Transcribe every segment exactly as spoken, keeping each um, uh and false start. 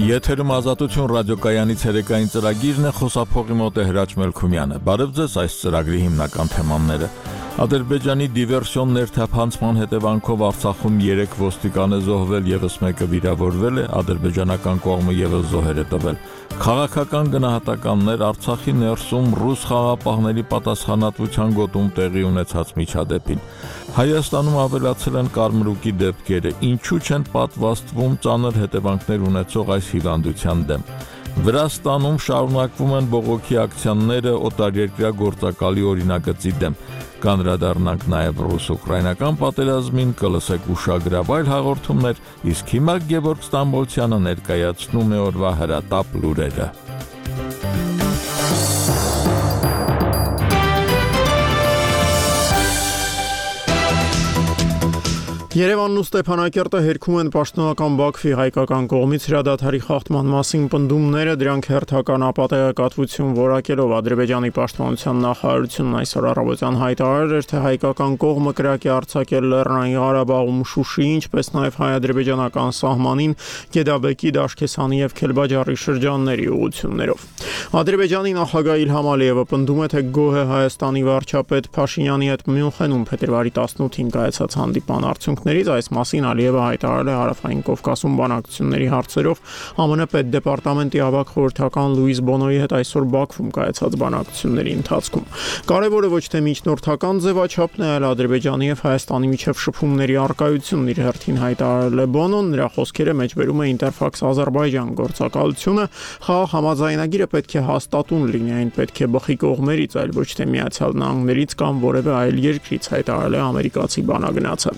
Եթերում Ազատություն ռադիոկայանի ցերեկային ծրագիրն է, խոսափողի մոտ է Հրաչ Մելքումյանը։ Բարև ձեզ, այս ծրագրի հիմնական թեմաները։ Ադրբեջանի դիվերսիոն ներթափանցման հետևանքով Արցախում երեք ոստիկան է զոհվել, ևս մեկը վիրավորվել է, ադրբեջանական կողմը ևս զոհեր է տվել։ Քաղաքական գնահատականներ Արցախի ներսում ռուս խաղաղապահների պատասխանատվության գոտում տեղի ունեցած միջադեպին։ Հայաստանում ավելացել են կարմրուկի դեպքերը, ինչու չեն պատվաստվում ծանր հետևանքներ ունեցող այս հիվանդության դեմ։ Վրաստանում շարունակվում են բողոքի ակցիաները օտարերկրյա գործակալի օրինագծի դեմ։ Կանդրադառնանք նաև ռուս-ուկրաինական պատերազմին, կլսեք ուշագրավայր հաղորդումներ, իսկ հիմա Գևորգ Ստամբոլցյանը ներկայացնում է օրվա հրատապ լուրերը։ Երևանն ու Ստեփանակերտը հերքում են պաշտոնական Բաքվի հայկական կողմից հրադադարի խախտման մասին պնդումները, դրանք հերթական ապատեգատվություն որակելով Ադրբեջանի պաշտպանության նախարարությունն այսօր առավոտյան հայտարարել էր, թե հայկական կողմը կրակ է արձակել Լեռնային Ղարաբաղում Շուշիի, ինչպես նաև հայ-ադրբեջանական սահմանին Գեդաբեկի, Դաշկեսանի եւ Քելբաջարի շրջանների ուղղություններով։ Ադրբեջանի նախագահ Իլհամ Ալիևը պնդում է, թե գոհ է Հայաստանի վարչապետ Փաշինյանի հետ Մյունխենում փետրվարի տասնութին կայացած հանդիպան արդյունքներից, այս մասին Ալիևը հայտարարել է Հարավային Կովկասում բանակցությունների հարցերով ԱՄՆ պետդեպարտամենտի ավագ խորհրդական Լուիս Բոնոյի հետ այսօր Բաքվում կայացած բանակցությունների ընթացքում։ Կարևորը ոչ թե միջնորդական ձևաչափն է, այլ Ադրբեջանի եւ Հայաստանի միջև շփումների առկայությունն իր հերթին հայտարարել է Բոնոն, նրա խոսքերը մեջբերում է Interfax Azerbaijan գործակալությունը, խաղաղ համաձայնագիրը պետք է հաստատուն լինի, այն պետք է բխի կողմերից, այլ ոչ թե Միացյալ Նահանգներից կամ որևէ այլ երկրից, հայտարարել է ամերիկացի բանագնացը։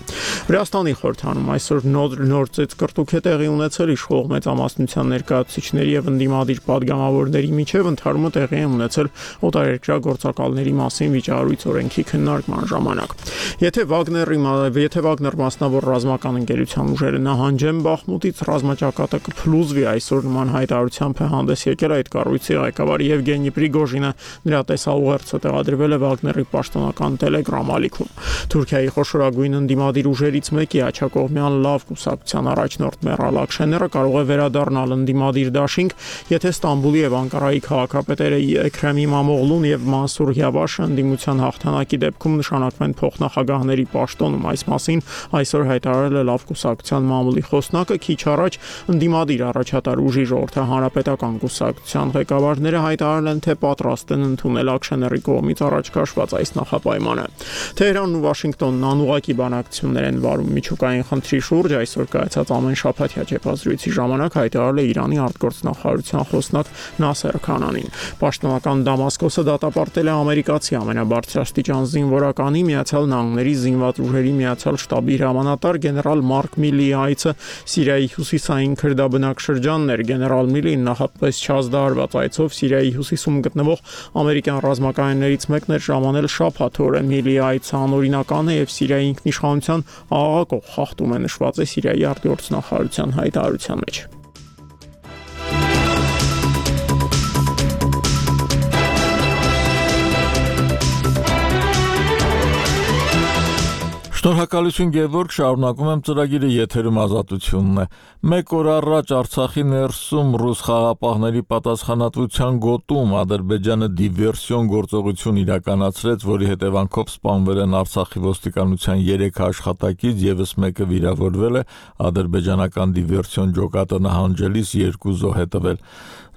Վրաստանի խորհրդանում այսօր նոր նոր ծեծկռտուք է տեղի ունեցել իշխող մեծամասնության ներկայացուցիչների եւ ընդդիմադիր падգամավորների միջև, ընթարումը տեղի է ունեցել օտարերկրյա գործակալների մասին վիճահարույց օրենքի քննարկման ժամանակ։ Եթե Վագների եթե Վագներ մասնավոր ռազմական ընկերության ուժերը նահանջեն Բախմուտից, ռազմաճակատը կփլուզվի, այսօր նման հայտարարությամբ է հանդես եկել այդ կառույցի ղեկավար Եվգենի Պրիգոժինը, նրա տեսաուղերձը տեղադրվել է Վագների պաշտոնական Telegram ալիքում։ Թուրքիայի խոշորագույն ընդդիմադիր ուժերից մեկի աջակողմյան լավ կուսակցության առաջնորդ Մերալ Աքշեները կարող է վերադառնալ ընդդիմադիր դաշինք, եթե Ստամբուլի եւ Անկարայի քաղաքապետերը Էքրեմ Իմամօղլուն եւ Մանսուր Յավաշը ընդդիմության հաղթանակի դեպքում նշանակվեն փոխնախագահների պաշտոնում։ Այս մասին այսօր հայտարարել է լավ կուսակցության մամուլի խոսնակը, քիչ առաջ ընդդիմադիր առաջատար ուժի ժողովրդահանրապետական կուսակցության ղեկավարները հայտարարել են, թե պատրաստ են ընդունել Աքշեների կողմից առաջ քաշված այս նախապայմանը։ Թեհրանն ու Վաշինգտոնն անուղղակի բանակցություններ են վարում միջուկային խնդրի շուրջ, այսօր կայացած ամեն շաբաթյա ճեպազրույցի ժամանակ հայտարարել է Իրանի արտգործնախարարության խոսնակ Նասեր Քանանին։ Պաշտոնական Դամասկոսը դատապարտել է ամերիկացի ամենաբարձրաստիճան զինվորականի Միացյալ Նահանգների զինված ուժերի միացյալ շտաբի հրամանատար գեներալ Մարկ Միլիի այցը Սիրիայի հյուսիսային քրդաբնակ շրջաններ։ Գեներալ Միլին նախապես չազդարված այցով Սիրիայի հյուսիսում գտնվող ամերիկյան ռազմակայաններից մեկն էր ժամանել շաբաթ օրը։ Միլիի այցը անօրինական է եւ Սիրիայի ինքնիշխանության աղաղակող խախտում է, նշված է Սիրիայի արտգործնախարարության հայտարարության մեջ։ Շնորհակալություն Գևորգ, շարունակում եմ ծրագիրը, եթերում Ազատությունն է։ Մեկ օր առաջ Արցախի ներսում ռուս խաղաղապահների պատասխանատվության գոտում Ադրբեջանը դիվերսիոն գործողություն իրականացրեց, որի հետևանքով սպանվել են Արցախի ոստիկանության երեք աշխատակից, ևս մեկը վիրավորվել է, ադրբեջանական դիվերսիոն ջոկատը նահանջելիս երկու զոհ է տվել։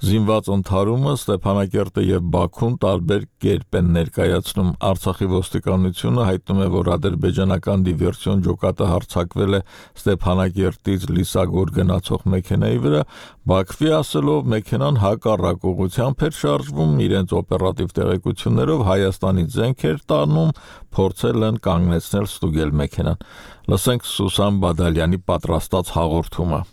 Զինված ընդհարումը Ստեփանակերտը եւ Բաքուն տարբեր կերպ են ներկայացնում։ Արցախի ոստիկանությունը հայտնում է, որ ադրբեջանական դիվերսիոն ջոկատը հարձակվել է Ստեփանակերտից Լիսագոր գնացող մեքենայի վրա, Բաքվի ասելով մեքենան հակառակ ուղղությամբ էր շարժվում, իրենց օպերատիվ տեղեկություններով Հայաստանից զենք էր տանում, փորձել են կանգնեցնել ստուգել մեքենան։ Լսենք Սուսան Բադալյանի պատրաստած հաղորդումը։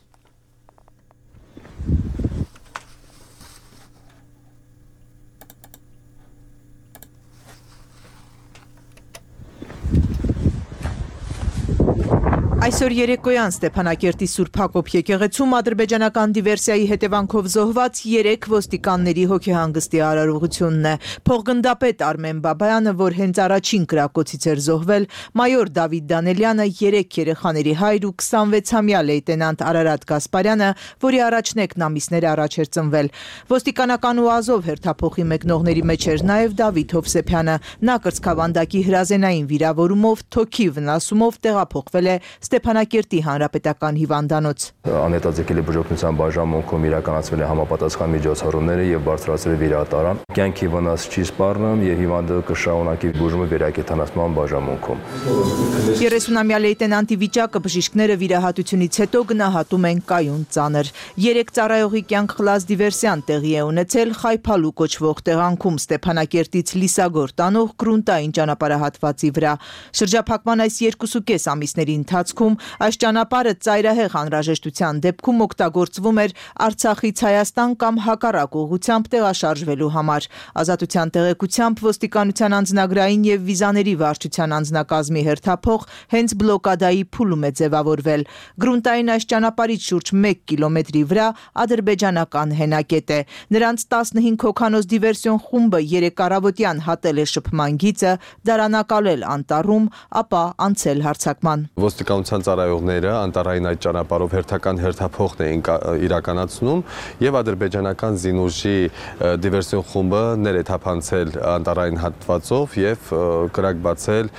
Այսօր երեկոյան Ստեփանակերտի Սուրբ Հակոբ եկեղեցում ադրբեջանական դիվերսիայի հետևանքով զոհված երեք ոստիկանների հոգեհանգստի արարողությունն է։ Փոխգնդապետ Արմեն Բաբայանը, որ հենց առաջին կրակոցից էր զոհվել, մայոր Դավիթ Դանելյանը, երեք երեխաների հայր ու քսանվեցամյա լեյտենանտ Արարատ Գասպարյանը, որի առաջնեկն ամիսներ առաջ էր ծնվել։ Ոստիկանական ու Ազով հերթափոխի մեկնողների մեջ էր նաև Դավիթ Հովսեփյանը։ Նա կրծքավանդակի հրազենային վիրավորումով, թոքի վնասումով տեղափոխվել է Ստեփանակերտի հանրապետական հիվանդանոց։ Անհետաձգելի բուժօգնության բաժանմունքում իրականացվել է համապատասխան միջոցառումները եւ բարձրացվել է վիրահատարան։ Կյանքի վնաս չի սպառնում եւ հիվանդը կշարունակի բուժումը վերակենդանացման բաժանմունքում։ երեսունամյա լեյտենանտի վիճակը բժիշկները վիրահատությունից հետո գնահատում են կայուն ծանր։ Երեք ծառայողի կյանք խլած դիվերսիան տեղի է ունեցել Խայփալու կոչվող տեղանքում Ստեփանակերտից Լիսագոր տանող գրունտային ճանապարհահատվածի վրա։ Շրջափակման այս երկուսուկես ամիսների ընթացքում այս ճանապարհը ծայրահեղ անհրաժեշտության դեպքում օգտագործվում էր Արցախից Հայաստան կամ հակառակ ուղղությամբ տեղաշարժվելու համար։ Ազատության տեղեկությամբ ոստիկանության անձնագրային եւ վիզաների վարչության անձնակազմի հերթափող հենց բլոկադայի փուլում է ձևավորվել։ Գրունտային այս ճանապարհից շուրջ մեկ կիլոմետրի վրա ադրբեջանական հենակետ է։ Նրանց տասնհինգ հոգանոց դիվերսիոն խումբը երեք առավոտյան հատել է շփման գիծը, դարանակալել անտառում, ապա անցել հարձակման։ Ոստիկանության ծառայողները անտառային այդ ճանապարհով հերթական հերթափոխն էին իրականացնում եւ ադրբեջանական զինուժի դիվերսիոն խումբը ներեթափանցել անտառային հատվածով եւ կրակ բացել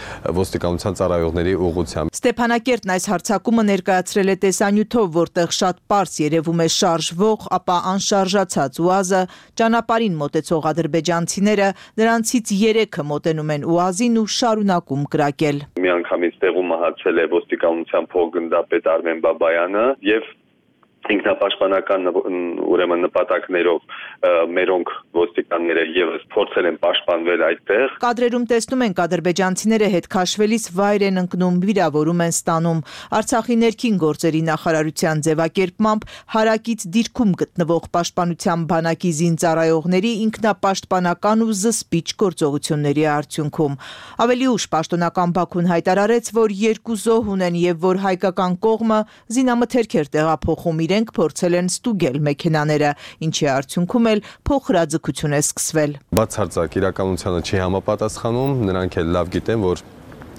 ոստիկանության ծառայողների ուղղությամբ։ Ստեփանակերտն այս հարձակումը ներկայացրել է տեսանյութով, որտեղ շատ պարզ երևում է շարժվող, ապա անշարժացած ՈՒԱԶ-ը, ճանապարհին մոտեցող ադրբեջանցիները, նրանցից երեքը մոտենում են ՈՒԱԶ-ին ու շարունակում կրակել։ Միանգամից տեղում մահացել է ոստիկանության փոխգնդապետ Արմեն Բաբայանը եւ ինքնապաշտպանական ուրեմն նպատակներով մերոնք ոստիկանները եւս փորձել են պաշտպանվել այդտեղ։ Կադրերում տեսնում ենք ադրբեջանցիները հետ քաշվելիս վայր են ընկնում, վիրավորում են ստանում։ Արցախի ներքին գործերի նախարարության ձևակերպմամբ հարակից դիրքում գտնվող պաշտպանության բանակի զինծառայողների ինքնապաշտպանական ու զսպիչ գործողությունների արդյունքում։ Ավելի ուշ պաշտոնական Բաքուն հայտարարեց, որ երկու զոհ ունեն եւ որ հայկական կողմը զինամթերք էր տեղափոխում, իրենք փորձել են ստուգել մեքենաները, ինչի արդյունքում էլ փոխհրաձգություն է սկսվել։ Բացարձակ իրականությանը չի համապատասխանում, նրանք էլ լավ գիտեն, որ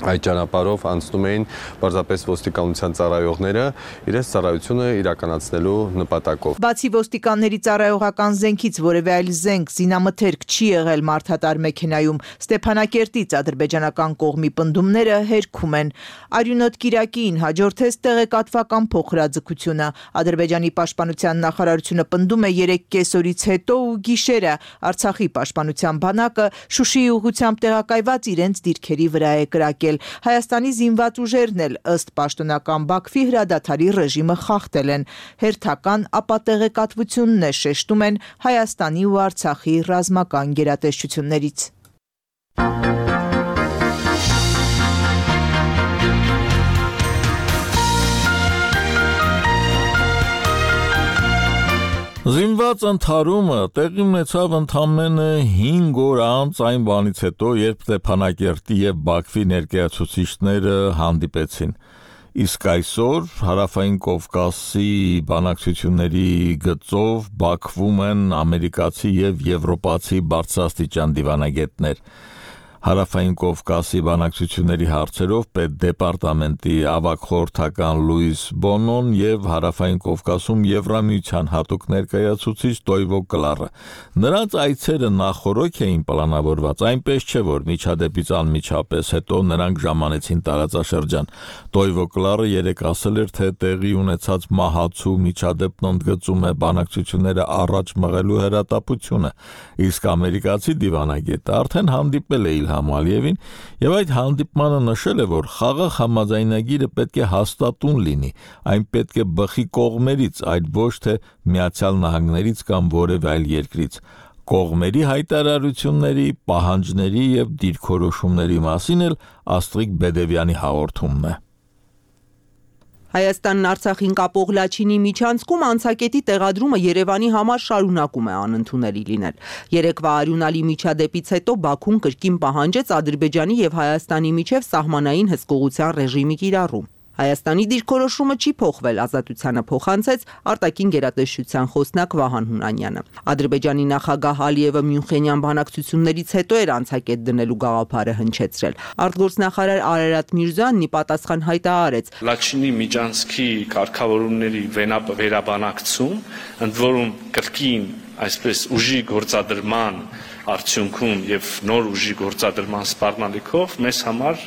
այդ ճանապարհով անցնում էին պարզապես ոստիկանության ծառայողները իրենց ծառայությունը իրականացնելու նպատակով։ Բացի ոստիկանների ծառայողական զենքից որևէ այլ զենք, զինամթերք չի եղել մարդատար մեքենայում, Ստեփանակերտից ադրբեջանական կողմի պնդումները հերքում են։ Արյունոտ Կիրակիին հաջորդեց տեղեկատվական փոխհրաձգությունը։ Ադրբեջանի պաշտպանության նախարարությունը պնդում է երեք կեսօրից հետո ու գիշերը Արցախի պաշտպանության բանակը Շուշիի ուղղությամբ տեղակայված իրենց դիրքերի վրա է կրակել։ Հայաստանի զինված ուժերն էլ ըստ պաշտոնական Բաքվի հրադադարի ռեժիմը խախտել են։ Հերթական ապա տեղեկատվությունն է շեշտում են Հայաստանի ու Արցախի ռազմական գերատեսչություններից։ Զինված ընդհարումը տեղի ունեցավ ընդամենը հինգ օր անց այն բանից հետո, երբ Ստեփանակերտի եւ Բաքվի ներկայացուցիչները հանդիպեցին։ Իսկ այսօր Հարավային Կովկասի բանակցությունների գծով Բաքվում են ամերիկացի եւ եվրոպացի բարձրաստիճան դիվանագետներ։ Հարավային Կովկասի բանակցությունների հարցերով պետդեպարտամենտի ավագ խորհրդական Լուիս Բոնոն եւ Հարավային Կովկասում Եվրամիության հատուկ ներկայացուցիչ Տոյվո Կլարը։ Նրանց այցերը նախորոք էին պլանավորված, այնպես չէ, որ միջադեպից անմիջապես հետո նրանք ժամանեցին տարածաշրջան։ Տոյվո Կլարը երեք ասել էր, թե տեղի ունեցած մահացու միջադեպն ընդգծում է բանակցությունները առաջ մղելու հրատապությունը, իսկ ամերիկացի դիվանագետը արդեն հանդիպել է Համալիևին եւ այդ հանդիպմանը նշել է, որ խաղաղ համաձայնագիրը պետք է հաստատուն լինի, այն պետք է բխի կողմերից, այլ ոչ թե Միացյալ Նահանգներից կամ որևէ այլ երկրից։ Կողմերի հայտարարությունների, պահանջների եւ դիրքորոշումների մասին էլ Աստրիկ Բեդևյանի հաղորդումն է։ Հայաստանն Արցախին կապող Լաչինի միջանցքում անցակետի տեղադրումը Երևանի համար շարունակում է անընդունելի լինել։ Երեկվա արյունալի միջադեպից հետո Բաքուն կրկին պահանջեց Ադրբեջանի եւ Հայաստանի միջև սահմանային հսկողության ռեժիմի կիրառում։ Հայաստանի դիրքորոշումը չի փոխվել, ազատությանը փոխանցեց արտաքին գերատեսչության խոսնակ Վահան Հունանյանը։ Ադրբեջանի նախագահ Ալիևը Մյունխենյան բանակցություններից հետո էր անցակետ դնելու գաղափարը հնչեցրել։ Արտգործնախարար Արարատ Միրզոյանն ի պատասխան հայտարարեց. Լաչինի միջանցքի կարգավորումների վերաբանակցում, ընդ որում կրկին այսպես ուժի գործադրման արդյունքում եւ նոր ուժի գործադրման սպառնալիքով մեզ համար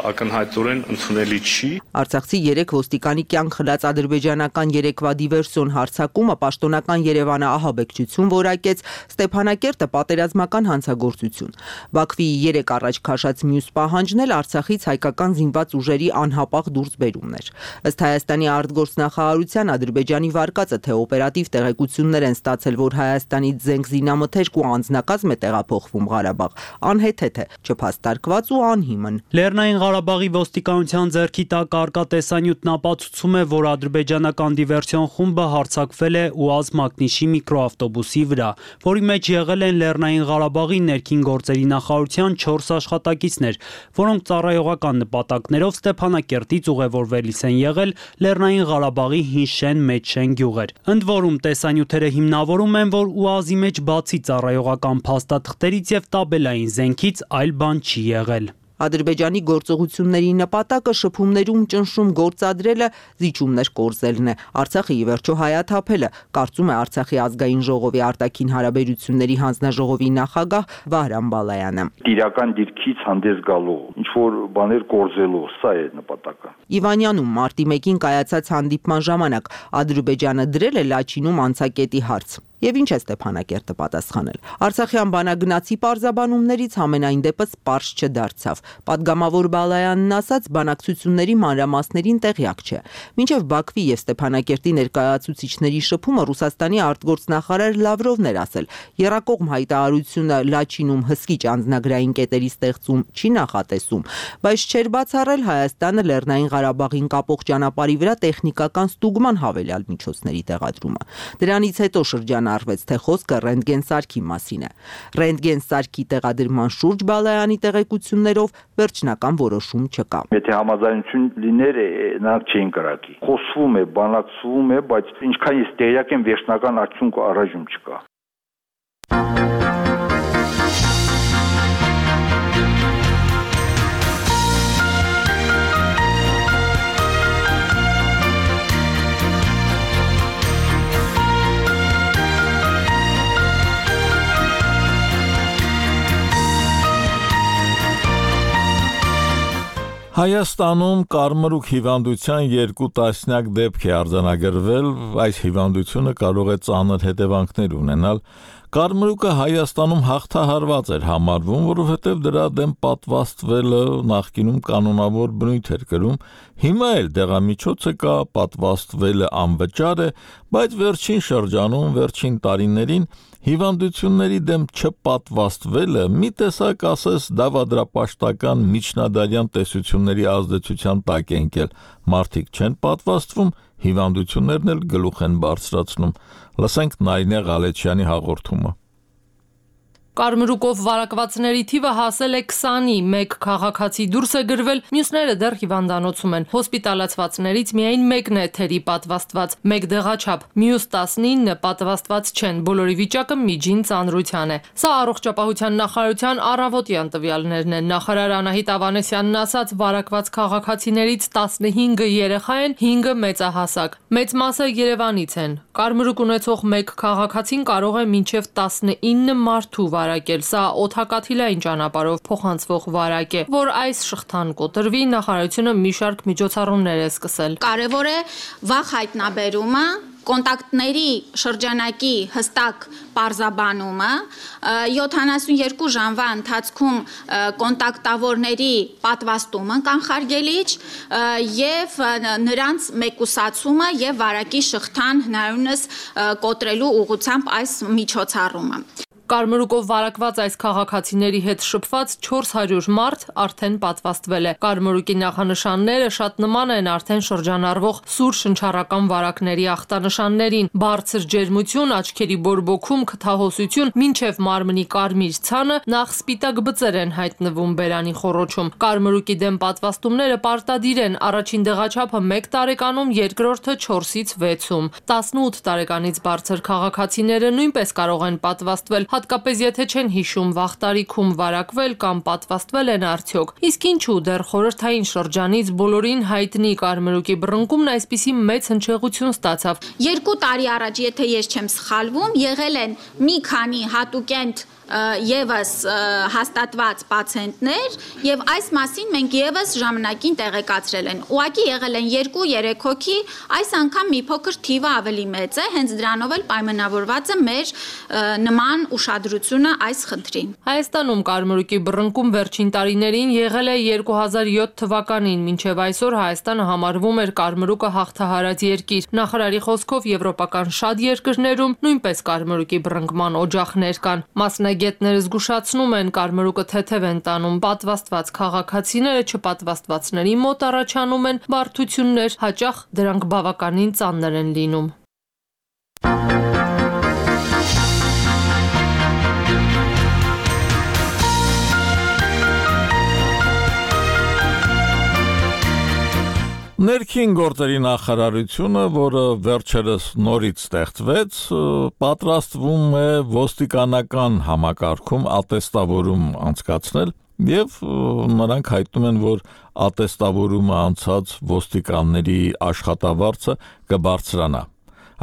ակնհայտորեն ընդունելի չի։ Արցախցի երեք ոստիկանի կյանք խլած ադրբեջանական երեկվա դիվերսիոն հարձակումը պաշտոնական Երևանը ահաբեկչություն որակեց, Ստեփանակերտը պատերազմական հանցագործություն։ Բաքվիի երեք առաջ քաշած մյուս պահանջն էլ Արցախից հայկական զինված ուժերի անհապաղ դուրսբերումն էր։ Ըստ Հայաստանի արտգործնախարարության Ադրբեջանի վարկածը թե օպերատիվ տեղեկություններ են ստացել, որ Հայաստանից զենք զինամթերք ու անձնակազմ է տեղափոխվում Ղարաբաղ, անհեթեթ է, չփաստարկված ու անհիմն։ Լեռնային Ղարաբաղի ոստիկանության ձեռքի տակ առկա տեսանյութն ապացուցում է, որ ադրբեջանական դիվերսիոն խումբը հարձակվել է ՈՒԱԶ Մակնիշի միկրոավտոբուսի վրա, որի մեջ եղել են Լեռնային Ղարաբաղի ներքին գործերի նախարարության չորս աշխատակիցներ, որոնք ծառայողական նպատակներով Ստեփանակերտից ուղևորվելիս են եղել Լեռնային Ղարաբաղի Հինշեն Մեջշեն գյուղեր։ Ընդ որում տեսանյութերը հիմնավորում են, որ ՈՒԱԶ-ի մեջ բացի ծառայողական փաստաթղթերից եւ տաբելային զենքից այլ բան չի եղել։ Ադրբեջանի գործողությունների նպատակը շփումներում ճնշում գործադրելը, զիջումներ կորզելն է, Արցախը ի վերջո հայաթափելը, կարծում է Արցախի ազգային ժողովի արտաքին հարաբերությունների հանձնաժողովի նախագահ Վահրամ Բալայանը։ Իրական դիրքից հանդես գալու, ինչ որ բաներ կորզելու, սա է նպատակը։ Իվանյանում մարտի մեկին կայացած հանդիպման ժամանակ Ադրբեջանը դրել է Լաչինում անցակետի հարց։ Եվ ինչ է Ստեփանակերտը պատասխանել։ Արցախյան բանագնացի պարզաբանումներից համենայն դեպս պարզ չդարձավ։ Պատգամավոր Բալայանն ասաց, բանակցությունների մանրամասներին տեղյակ չէ։ Մինչև Բաքվի եւ Ստեփանակերտի ներկայացուցիչների շփումը Ռուսաստանի արտգործնախարար Լավրովն էր ասել, եռակողմ հայտարարությունը Լաչինում հսկիչ անձնագրային կետերի ստեղծում չի նախատեսում, բայց չէր բացառել Հայաստանը Լեռնային Ղարաբաղին կապող ճանապարհի վրա տեխնիկական ստուգման հավելյալ միջոցների տեղադրումը։ Դրանից հետո շրջան արվեց, թե խոսքը ռենտգեն սարքի մասին է։ Ռենտգեն սարքի տեղադրման շուրջ Բալայանի տեղեկություններով վերջնական որոշում չկա։ Եթե համաձայնություն լիներ, նրանք չէին կրակի։ Խոսվում է, բանակցվում է, բայց ինչքան ես տեղյակ եմ, վերջնական արդյունք առայժմ չկա։ Հայաստանում կարմրուկ հիվանդության երկու տասնյակ դեպք է արձանագրվել, այս հիվանդությունը կարող է ծանր հետևանքներ ունենալ։ Կարմրուկը Հայաստանում հաղթահարված էր համարվում, որովհետև դրա դեմ պատվաստվելը նախկինում կանոնավոր բնույթ էր կրում, հիմա էլ դեղամիջոցը կա, պատվաստվելը անվճար է, բայց վերջին շրջանում, վերջին տարիներին հիվանդությունների դեմ չպատվաստվելը մի տեսակ ասես դավադրապաշտական միջնադարյան տեսությունների ազդեցության տակ է ընկել։ Մարդիկ չեն պատվաստվում, հիվանդություններն էլ գլուխ են բարձրացնում։ Լսենք Նարինե Ղալեչյանի հաղորդումը։ Կարմրուկով վարակվածների թիվը հասել է քսանի, մեկ քաղաքացի դուրս է գրվել, մյուսները դեռ հիվանդանոցում են։ Հոսպիտալացվածներից միայն մեկն է թերի պատվաստված, մեկ դեղաչափ, մյուս տասնինը պատվաստված չեն, բոլորի վիճակը միջին ծանրության է։ Սա առողջապահության նախարարության առավոտյան տվյալներն են։ Նախարար Անահիտ Ավանեսյանն ասաց, վարակված քաղաքացիներից տասնհինգը երեխա են, հինգը մեծահասակ։ Մեծ մասը Երևանից են։ Կարմրուկ ունեցող մեկ քաղաքացին կարող է մինչև տասնինը մարդու վարակել, սա օդակաթիլային ճանապարհով փոխանցվող վարակ է, որ այս շղթան կոտրվի, նախարարությունը մի շարք միջոցառումներ է սկսել։ Կարևոր է վաղ հայտնաբերումը, կոնտակտների շրջանակի հստակ պարզաբանումը, յոթանասունյերկու ժամվա ընթացքում կոնտակտավորների պատվաստումը կանխարգելիչ եւ նրանց մեկուսացումը եւ վարակի շղթան հնարավորինս կոտրելու ուղղությամբ այս միջոցառումը։ Կարմրուկով վարակված այս քաղաքացիների հետ շփված չորս հարյուր մարդ արդեն պատվաստվել է։ Կարմրուկի նախանշանները շատ նման են արդեն շրջանառվող սուր շնչառական վարակների ախտանշաններին՝ բարձր ջերմություն, աչքերի բորբոքում, քթահոսություն, մինչև մարմնի կարմիր ցանը, նախ սպիտակ բծեր են հայտնվում բերանի խոռոչում։ Կարմրուկի դեմ պատվաստումները պարտադիր են, առաջին դեղաչափը մեկ տարեկանում, երկրորդը չորսից վեցում։ տասնութ տարեկանից բարձր քաղաքացիները նույնպես կարող են պատվաստվել, հատկապես եթե չեն հիշում վաղ տարիքում վարակվել կամ պատվաստվել են արդյոք։ Իսկ ինչու դեռ խորհրդային շրջանից բոլորին հայտնի կարմրուկի բռնկումն այսպիսի մեծ հնչեղություն ստացավ։ Երկու տարի առաջ, եթե ես չեմ սխալվում, եղել են մի քանի հատուկենտ Եվս հաստատված պացիենտներ եւ այս մասին մենք եւս ժամանակին տեղեկացրել են։ Ուղղակի եղել են երկու երեք հոգի, այս անգամ մի փոքր թիվը ավելի մեծ է, հենց դրանով էլ պայմանավորված է մեր նման ուշադրությունը այս խնդրին։ Հայաստանում կարմրուկի բռնկում վերջին տարիներին եղել է երկու հազար յոթ թվականին, մինչև այսօր Հայաստանը համարվում էր կարմրուկը հաղթահարած երկիր։ Նախարարի խոսքով եվրոպական շատ երկրներում նույնպես կարմրուկի բռնկման օջախներ կան։ Մասնագետ Գետները զգուշացնում են կարմրուկը թեթև են տանում, պատվաստված քաղաքացիները չպատվաստվածների մոտ առաջանում են բարդություններ, հաճախ դրանք բավականին ծանր են լինում։ Ներքին գործերի նախարարությունը, որը վերջերս նորից ստեղծվեց, պատրաստվում է ոստիկանական համակարգում ատեստավորում անցկացնել եւ նրանք հայտնում են, որ ատեստավորումը անցած ոստիկանների աշխատավարձը կբարձրանա։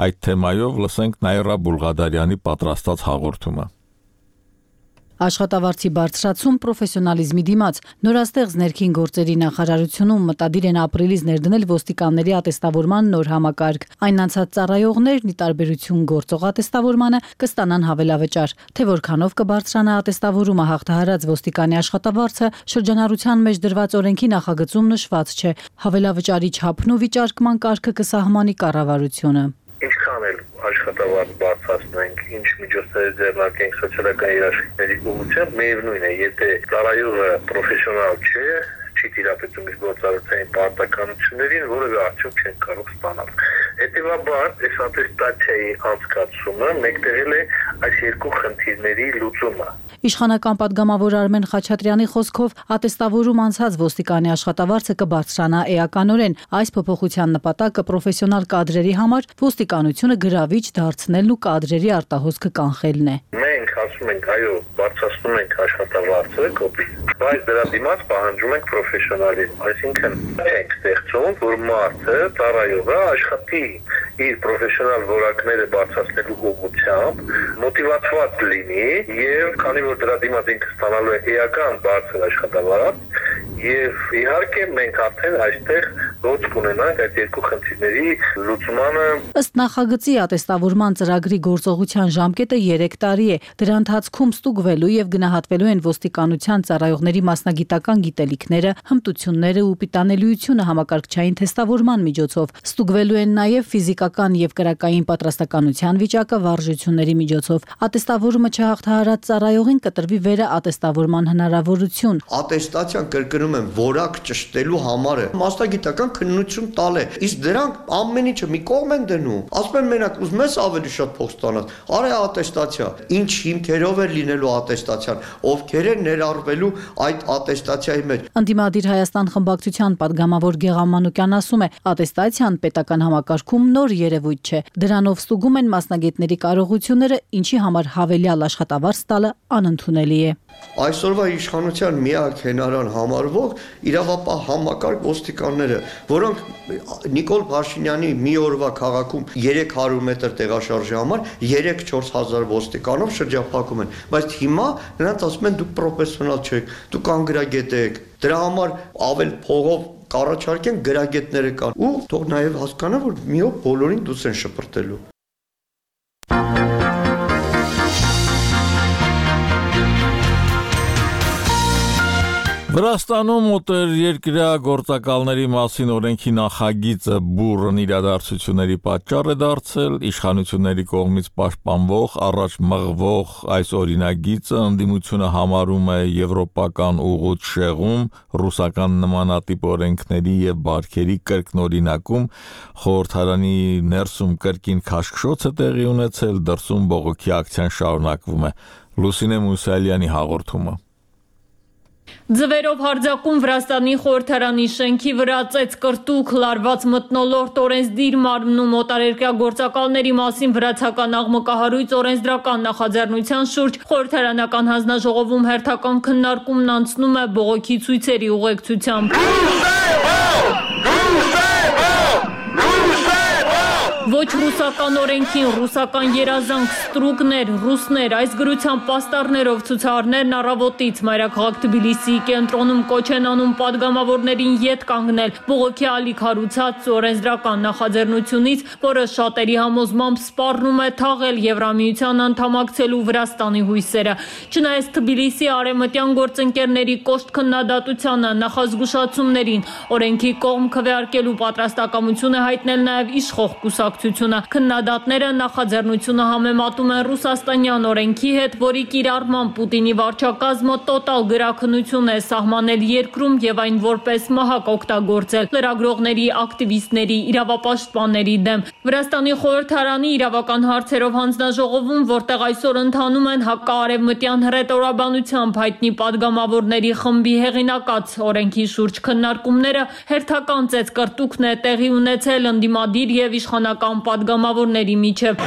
Այդ թեմայով լսենք Նաիրա Բուլղադարյանի պատրաստած հաղորդումը։ Աշխատավարձի բարձրացում պրոֆեսիոնալիզմի դիմաց նորաստեղծ ներքին գործերի նախարարությունում մտադիր են ապրիլից ներդնել ոստիկանների ատեստավորման նոր համակարգ։ Այն անցած ծառայողներն ի տարբերություն գործող ատեստավորմանը կստանան հավելավճար, թե որքանով կբարձրանա ատեստավորումը հաղթահարած ոստիկանի աշխատավարձը շրջանառության մեջ դրված օրենքի նախագծում նշված չէ։ Հավելավճարի չափն ու վիճարկման կարգը կսահմանի կառավարությունը։ Ինչքան էլ աշխատավարձ բարձրացնենք, ինչ միջոցներ ձեռնարկենք սոցիալական երաշխիքների ուղղությամբ, միևնույն է, եթե ծառայողը պրոֆեսիոնալ չէ, չի տիրապետում իր գործառույթային պարտականություններին, որևէ արդյունք չեն կարող ստանալ։ Հետևաբար, այս ատեստացիայի անցկացումը մեկտեղել է այս երկու խնդիրների լուծումը։ Իշխանական պատգամավոր Արմեն Խաչատրյանի խոսքով ատեստավորում անցած ոստիկանի աշխատավարձը կբարձրանա էականորեն։ Այս փոփոխության նպատակը պրոֆեսիոնալ կադրերի համար ոստիկանությունը գրավիչ դարձնելն ու կադրերի արտահոսքը կանխելն է։ Մենք ասում ենք, այո, բարձրացնում ենք աշխատավարձը, կոպիտ, բայց դրա դիմաց պահանջում ենք պրոֆեսիոնալիզմ, այսինքն ենք ստեղծում, որ մարդը, ծառայողը աշխատի իր պրոֆեսիոնալ որակները բարձրացնելու ուղղությամբ, մոտիվացված լինի եւ քանի որ դրա դիմաց ինքը ստանալու է էական բարձր աշխատավարձ եւ իհարկե մենք արդեն այստեղ ոչ կունենանք այդ երկու խնդիրների լուծմանը։ Ըստ նախագծի ատեստավորման ծրագրի գործողության ժամկետը երեք տարի է։ Դրա ընթացքում ստուգվելու եւ գնահատվելու են ոստիկանության ծառայողների մասնագիտական գիտելիքները, հմտությունները ու պիտանելիությունը համակարգչային թեստավորման միջոցով։ Ստուգվելու են նաեւ ֆիզիկական եւ կրակային պատրաստականության վիճակը վարժությունների միջոցով։ Ատեստավորումը չհաղթահարած ծառայողին կտրվի վերաատեստավորման հնարավորություն։ Ատեստացիան կրկնում եմ որակ ճշտելու համար է մասնագիտական քննություն տալ է, իսկ դրանք ամեն ինչը մի կողմ են դնում։ Ասում են մենակ ուզում ես ավելի շատ փող ստանալ, արի ատեստացիա։ Ինչ հիմքերով է լինելու ատեստացիան, ովքեր են ներառվելու այդ ատեստացիայի մեջ։ Անդիմադիր Հայաստան խմբակցության պատգամավոր Գեղամ Մանուկյան ասում է, ատեստացիան պետական համակարգում նոր երևույթ չէ։ Դրանով ստուգում են մասնագետների կարողությունները, ինչի համար հավելյալ աշխատավարձ տալը անընդունելի է։ Այսօրվա իշխանության միակ հենարան համարվող իրավապահ համակարգ ոստիկանները, որոնք Նիկոլ Փաշինյանի մի օրվա քաղաքում երեք հարյուր մետր տեղաշարժի համար երեք-չորս հազար ոստիկանով շրջափակում են, բայց հիմա նրանց ասում են դուք պրոֆեսիոնալ չեք, դուք անգրագետ եք, դրա համար ավել փողով կառաջարկեն գրագետները կան ու թող նաև հասկանա, որ մի օր բոլորին դուս են շպրտելու։ Վրաստանում օտարերկրյա գործակալների մասին օրենքի նախագիծը բուռն իրադարձությունների պատճառ է դարձել, իշխանությունների կողմից պաշտպանվող, առաջ մղվող այս օրինագիծը ընդդիմությունը համարում է եվրոպական ուղուց շեղում, ռուսական նմանատիպ օրենքների եւ բարքերի կրկնօրինակում, խորհրդարանի ներսում կրկին քաշքշոց է տեղի ունեցել, դրսում բողոքի ակցիան շարունակվում է։ Լուսինե Մուսալյանի հաղորդումը։ Ձվերով հարձակում Վրաստանի խորհրդարանի շենքի վրա ծեծ կրտուկ լարված մթնոլորտ օրենսդիր մարմնում օտարերկրյա գործակալների մասին վրացական աղմկահարույց օրենսդրական նախաձեռնության շուրջ խորհրդարանական հանձնաժողովում հերթական քննարկումն անցնում է բողոքի ցույցերի ուղեկցությամբ։ Ոչ ռուսական օրենքին, ռուսական երազանք, ստրուկներ, ռուսներ, այս գրությամբ պաստառներով ցուցարներն առավոտից մայրաքաղաք Թբիլիսիի կենտրոնում կոչ են անում падգամավորներին ետ կանգնել բողոքի ալիք հարուցած օրենսդրական նախաձեռնությունից, որը շատերի համոզմամբ սպառնում է թաղել Եվրամիության անդամակցելու Վրաստանի հույսերը։ Չնայած Թբիլիսիի արևմտյան գործընկերների կոշտ քննադատությանը, նախազգուշացումներին, օրենքի կողմ քվեարկելու պատրաստակամություն է հայտնել նաև իշխող կուսակցությունը։ Քննադատները նախաձեռնությունը համեմատում են ռուսաստանյան օրենքի հետ, որի կիրառմամբ Պուտինի վարչակազմը տոտալ գրաքննություն է սահմանել երկրում եւ այն որպես մահակ օգտագործել լրագրողների, ակտիվիստների, իրավապաշտպանների դեմ։ Վրաստանի խորհրդարանի իրավական հարցերով հանձնաժողովում, որտեղ այսօր ընթանում են հակարևմտյան հռետորաբանությամբ հայտնի падգամավորների խմբի հեղինակած օրենքի շուրջ քննարկումները, հերթական ծեծ կրտուկն է տեղի ունեցել ընդդիմադիր եւ իշխանական падգամավորների միջև։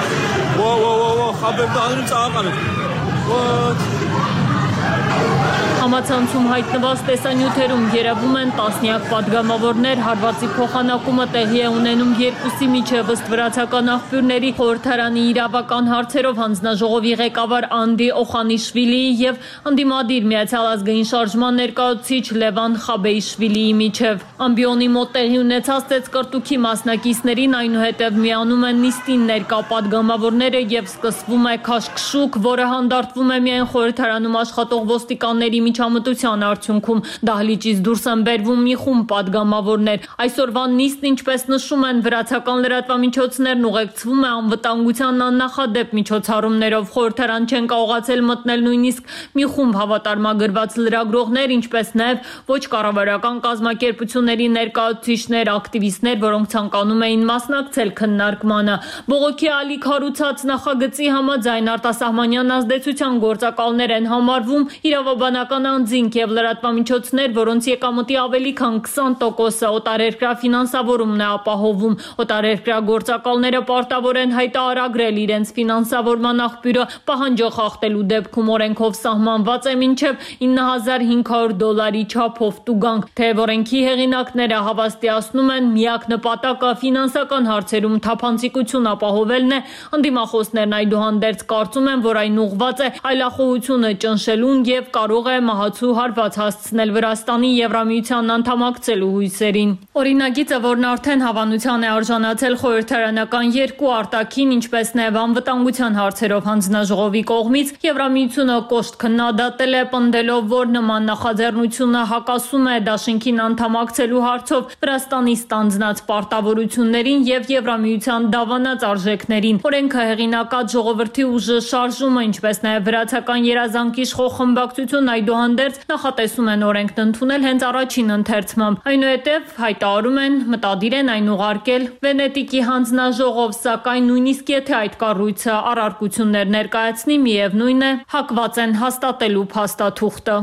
Համացանցում հայտնված տեսանյութերում երևում են տասնյակ падգամավորներ, հարվածի փոխանակումը տեղի է ունենում երկուսի միջև, ըստ վրացական աղբյուրների խորհրդարանի իրավական հարցերով հանձնաժողովի ղեկավար Անդի Օխանիշվիլիի եւ ընդդիմադիր Միացյալ ազգային շարժման ներկայացուցիչ Լևան Խաբեիշվիլիի միջև։ Ամբիոնի մոտ տեղի ունեցած ծեծկրտուքի մասնակիցներին այնուհետև միանում են նիստին ներկա падգամավորները եւ սկսվում է քաշքշուկ, որը հանդարտվում է միայն խորհրդարանում աշխատող ոստիկանների միջամտության արդյունքում։ Դահլիճից դուրս են բերվում մի խումբ падգամավորներ։ Այսօրվա նիստն, ինչպես նշում են վրացական լրատվամիջոցներն, ուղեկցվում է անվտանգության աննախադեպ միջոցառումներով։ Խորհրդարան չեն կարողացել մտնել նույնիսկ մի խումբ հավատարմագրված լրագրողներ, ինչպես նաև ոչ կառավարական կազմակերպությունների ներկայացուցիչներ, ակտիվիստներ, որոնք ցանկանում էին մասնակցել քննարկմանը։ Բողոքի ալիք հարուցած նախագծի համաձայն արտասահմանյան ազդեցության գործակալներ են համարվում իրավաբանական անձինք եւ լրատվամիջոցներ, որոնց եկամտի ավելի քան քսան տոկոսը օտարերկրյա ֆինանսավորումն է ապահովում։ Օտարերկրյա գործակալները պարտավոր են հայտարարել իրենց ֆինանսավորման աղբյուրը պահանջը խախտելու դեպքում օրենքով սահմանված է մինչև ինը հազար հինգ հարյուր դոլարի չափով տուգանք։ Թեև օրենքի հեղինակները հավաստիացնում են, միակ նպատակը ֆինանսական հարցերում թափանցիկություն ապահովելն է, ընդդիմախոսներն այդուհանդերձ կարծում են, որ այն ուղղված է այլախոհությունը ճնշելուն եւ կարող է մահացու հարված հասցնել Վրաստանի Եվրամիության անդամակցելու հույսերին։ Օրինագիծը, որն արդեն հավանության է արժանացել խորհրդարանական երկու արտաքին, ինչպես նաև անվտանգության հարցերով հանձնաժողովի կողմից, Եվրամիությունը կոշտ քննադատել է, պնդելով, որ նման նախաձեռնությունը հակասում է դաշինքին անդամակցելու հարցով Վրաստանի ստանձնած պարտավորություններին եւ Եվրամիության դավանած արժեքներին։ Օրենքը հեղինակած ժողովրդի ուժը շարժումը, ինչպես նաև վրացական երազանքի իշխող խմբակցություն այդուհանդերձ նախատեսում են օրենքն ընդունել հենց առաջին ընթերցմամբ։ Այնուհետև հայտարարում են, մտադիր են այն ուղարկել Վենետիկի հանձնաժողով, սակայն նույնիսկ եթե այդ կառույցը առարկություններ ներկայացնի, միևնույն է, հակված են հաստատելու փաստաթուղթը։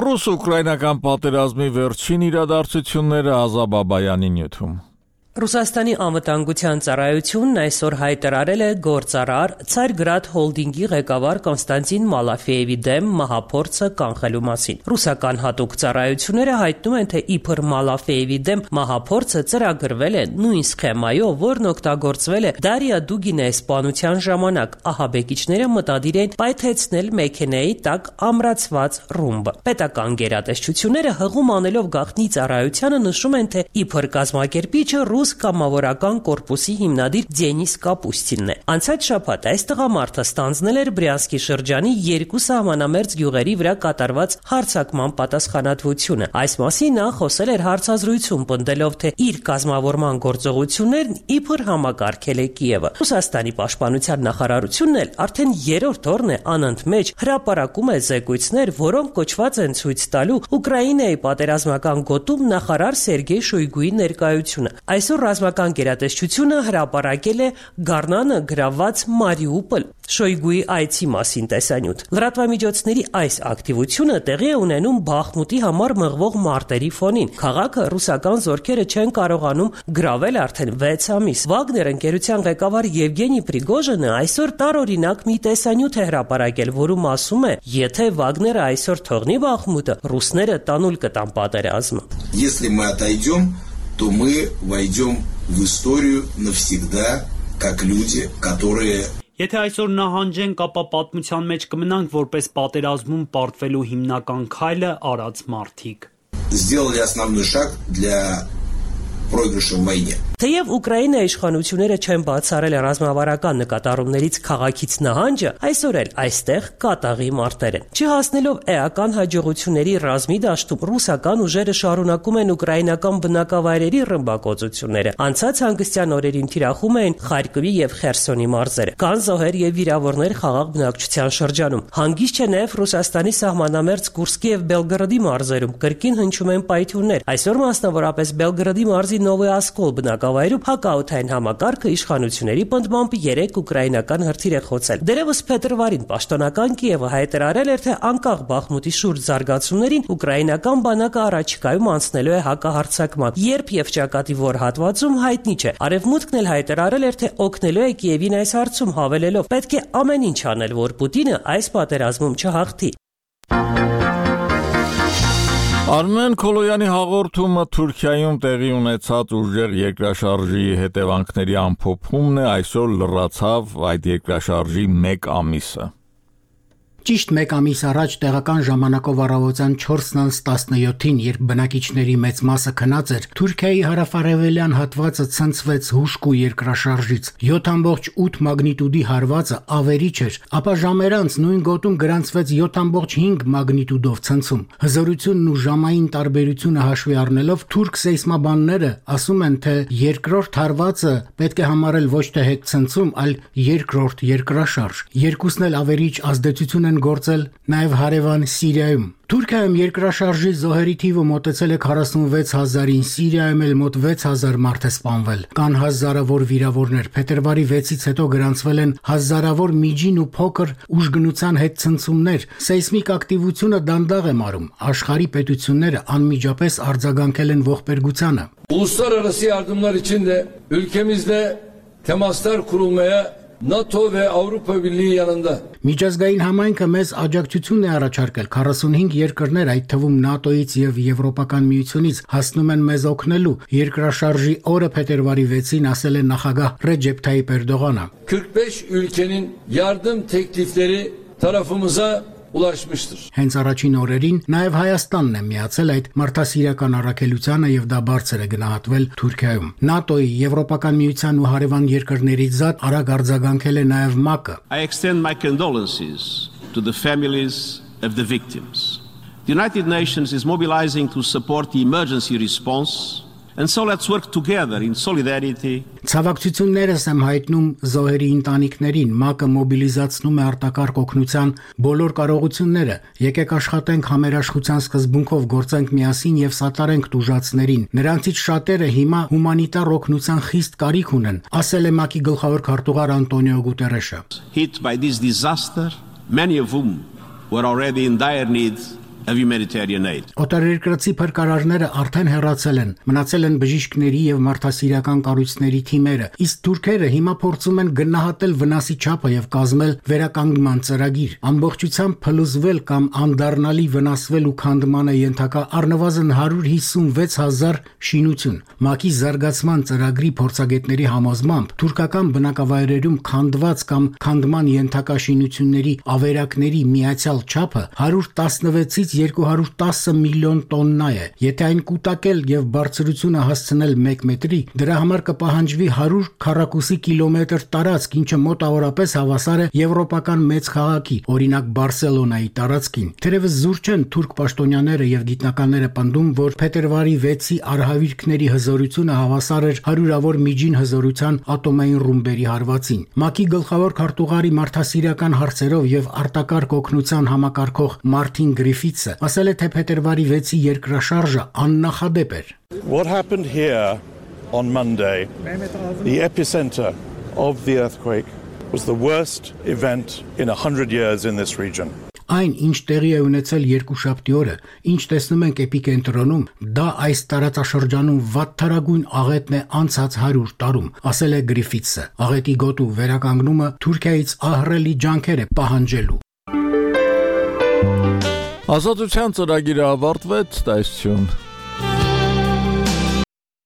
Ռուս-ուկրաինական պատերազմի վերջին իրադարձությունները Ազա Բաբայանի նյութում։ Ռուսաստանի անվտանգության ծառայությունն այսօր հայտարարել է գործարար Ցարգրադ հոլդինգի ղեկավար Կոնստանտին Մալաֆեևի դեմ մահափորձը կանխելու մասին։ Ռուսական հատուկ ծառայությունները հայտնում են, թե իբր Մալաֆեևի դեմ մահափորձը ծրագրվել է նույն սխեմայով, որն օգտագործվել է Դարիա Դուգինեի սպանության ժամանակ։ Ահաբեկիչները մտադիր են պայթեցնել մեքենայի տակ ամրացված ռումբը։ Պետական գերատեսչությունները հղում անելով գաղտնի ծառայությանը նշում են, թե իբր կազմակերպիչը ռուս կամավորական կորպուսի հիմնադիր Դենիս Կապուստինն է։ Անցած շաբաթ այս տղամարդը ստանձնել էր Բրյանսկի շրջանի երկու սահմանամերձ գյուղերի վրա կատարված հարձակման պատասխանատվությունը։ Այս մասին նա խոսել էր հարցազրույցում, պնդելով, թե իր կազմավորման գործողություններն իբր համակարգել է Կիևը։ Ռուսաստանի պաշտպանության նախարարությունն էլ արդեն երրորդ օրն է անընդմեջ հրապարակում է զեկույցներ, որոնք կոչված են ցույց տալու Ուկրաինայի պատերազմական գոտում նախարար Սերգեյ Շոյգուի ներկայությունը։ Այսօր ռազմական գերատեսչությունը հրապարակել է Գառնանը գրաված Մարիուպոլ Շոյգուի այցի մասին տեսանյութ։ Լրատվամիջոցների այս ակտիվությունը տեղի է ունենում Բախմուտի համար մղվող մարտերի ֆոնին։ Քաղաքը ռուսական զորքերը չեն կարողանում գրավել արդեն վեց ամիս։ Վագներ ընկերության ղեկավար Եվգենի Պրիգոժինը այսօր տարօրինակ մի տեսանյութ է հրապարակել, որում ասում է, եթե Վագները այսօր թողնի Բախմուտը, ռուսները տանուլ կտան պատերազմը։ Если мы отойдем, то мы войдем в историю навсегда как люди, которые Եթե այսօր նահանջենք, ապա պատմության մեջ կմնանք որպես պատերազմում պարտվելու հիմնական քայլը արած մարդիկ։ сделали основной шаг для проигрыша в войне. Թեև Ուկրաինայի իշխանությունները չեն բացառել ռազմավարական նկատառումներից քաղաքից նահանջը, այսօր էլ այստեղ կատաղի մարտեր են։ Չհասնելով էական հաջողությունների ռազմի դաշտում ռուսական ուժերը շարունակում են ուկրաինական բնակավայրերի ռմբակոծությունները։ Անցած հանգստյան օրերին թիրախում էին Խարկովի եւ Խերսոնի մարզերը։ Կան զոհեր եւ վիրավորներ խաղաղ բնակչության շրջանում։ Հանգիստ չէ նաեւ Ռուսաստանի սահմանամերձ Կուրսկի եւ Բելգրադի մարզերում կրկին հնչում են պայթյուններ։ Այսօր մասնավորապես Բելգրադի մարզի Նովոյասկոլ բնակավայրում հակաօդային համակարգը իշխանությունների պնդմամբ երեք ուկրաինական հրթիռ է խոցել։ Դերևս փետրվարին պաշտոնական Կիևը հայտարարել էր, թե անկախ Բախմուտի շուրջ զարգացումներին ուկրաինական բանակը առաջիկայում անցնելու է հակահարձակման։ Երբ եւ ճակատի որ հատվածում հայտնի չէ։ Արևմուտքն էլ հայտարարել էր, թե օգնելու է Կիևին այս հարցում, հավելելով. պետք է ամեն ինչ անել, որ Պուտինը այս պատերազմում չհաղթի։ Արմեն Քոլոյանի հաղորդումը Թուրքիայում տեղի ունեցած ուժեղ երկրաշարժի հետևանքների ամփոփումն է, այսօր լրացավ այդ երկրաշարժի մեկ ամիսը։ Ճիշտ մեկ ամիս առաջ տեղական ժամանակով առավոտյան չորսն տասնյոթին, երբ բնակիչների մեծ մասը քնած էր, Թուրքիայի հարավարևելյան հատվածը ցնցվեց հուժկու երկրաշարժից։ յոթ ամբողջ ութ մագնիտուդի հարվածը ավերիչ էր, ապա ժամեր անց նույն գոտում գրանցվեց յոթ ամբողջ հինգ մագնիտուդով ցնցում։ Հզորությունն ու ժամային տարբերությունը հաշվի առնելով թուրք սեյսմաբանները ասում են, թե երկրորդ հարվածը պետք է համարել ոչ թե հետցնցում, այլ երկրորդ երկրաշարժ։ Երկուսն էլ ավերիչ ազդեցություն գործել նաև հարևան Սիրիայում։ Թուրքիայում երկրաշարժի զոհերի թիվը մոտեցել է քառասունվեց հազարին, Սիրիայում էլ մոտ վեց հազար մարդ է սպանվել։ Կան հազարավոր վիրավորներ։ Փետրվարի վեցից հետո գրանցվել են հազարավոր միջին ու փոքր ուժգնության հետ ցնցումներ։ Սեյսմիկ ակտիվությունը դանդաղ է մարում։ Աշխարհի պետությունները անմիջապես արձագանքել են ողբերգությանը։ Uluslararası yardımlar için de ülkemizde temaslar kurulmaya NATO ve Avrupa Birliği yanında. Միջազգային համայնքը մեզ աջակցություն է առաջարկել։ քառասունհինգ երկրներ, այդ թվում ՆԱՏՕ-ից եւ Եվրոպական միությունից, հասնում են մեզ օգնելու։ Երկրաշարժի օրը փետրվարի վեցին ասել է նախագահ Ռեջեփ Թայիփ Էրդողանը։ kırk beş ülkenin yardım teklifleri tarafımıza ulaşmıştır. Հենց առաջին օրերին նաև Հայաստանն է միացել այդ մարդասիրական առաքելությանը եւ դա բարձր է գնահատվել Թուրքիայում։ ՆԱՏՕ-ի, Եվրոպական միության ու հարևան երկրներից զատ արագ արձագանքել է նաև ՄԱԿ-ը։ I extend my condolences to the families of the victims. The United Nations is mobilizing to support the emergency response. And so let's work together in solidarity. Ցավակցություններս եմ հայտնում զոհերի ընտանիքներին, ՄԱԿ-ը մոբիլիզացնում է արտակարգ օգնության բոլոր կարողությունները։ Եկեք աշխատենք համերաշխության սկզբունքով, գործենք միասին եւ սատարենք տուժածներին։ Նրանցից շատերը հիմա հումանիտար օգնության խիստ կարիք ունեն, ասել է ՄԱԿ-ի գլխավոր քարտուղար Անտոնիո Գուտերեշը։ Hit by this disaster, many of whom were already in dire need of humanitarian aid. Օտարերկրացի փրկարարները արդեն հեռացել են, մնացել են բժիշկների եւ մարդասիրական կառույցների թիմերը, իսկ թուրքերը հիմա փորձում են գնահատել վնասի չափը եւ կազմել վերականգնման ծրագիր։ Ամբողջությամբ փլուզվել կամ անդառնալի վնասվել ու քանդմանը ենթակա առնվազն հարյուր հիսունվեց հազար շինություն։ ՄԱԿ-ի զարգացման ծրագրի փորձագետների համոզմամբ թուրքական բնակավայրերում քանդված կամ քանդման ենթակա շինությունների ավերակների միացյալ չափը հարյուր տասնվեցից երկու հարյուր տասը միլիոն տոննա է։ Եթե այն կուտակել եւ բարձրությունը հասցնել մեկ մետրի, դրա համար կպահանջվի հարյուր քառակուսի կիլոմետր տարածք, ինչը մոտավորապես հավասար է եվրոպական մեծ քաղաքի, օրինակ Բարսելոնայի տարածքին։ Թերևս զուր չեն թուրք պաշտոնյաները եւ գիտնականները պնդում, որ փետրվարի վեցի արհավիրքների հզորությունը հավասար էր հարյուրավոր միջին հզորության ատոմային ռումբերի հարվածին։ ՄԱԿ-ի գլխավոր քարտուղարի մարդասիրական հարցերով եւ արտակարգ օգնության համակարգող Մարտին Գրիֆիթսը ասել է, թե փետրվարի վեցի երկրաշարժը աննախադեպ էր։ What happened here on Monday, the epicenter of the earthquake, was the worst event in one hundred years in this region. Այն, ինչ տեղի է ունեցել երկուշաբթի օրը, ինչ տեսնում ենք էպիկենտրոնում, դա այս տարածաշրջանում վատթարագույն աղետն է անցած հարյուր տարում, ասել է Գրիֆիթսը։ Աղետի գոտու վերականգնումը Թուրքիայից ահռելի ջանքեր է պահանջելու։ Ազատության ծրագիրը ավարտվեց, տեսություն։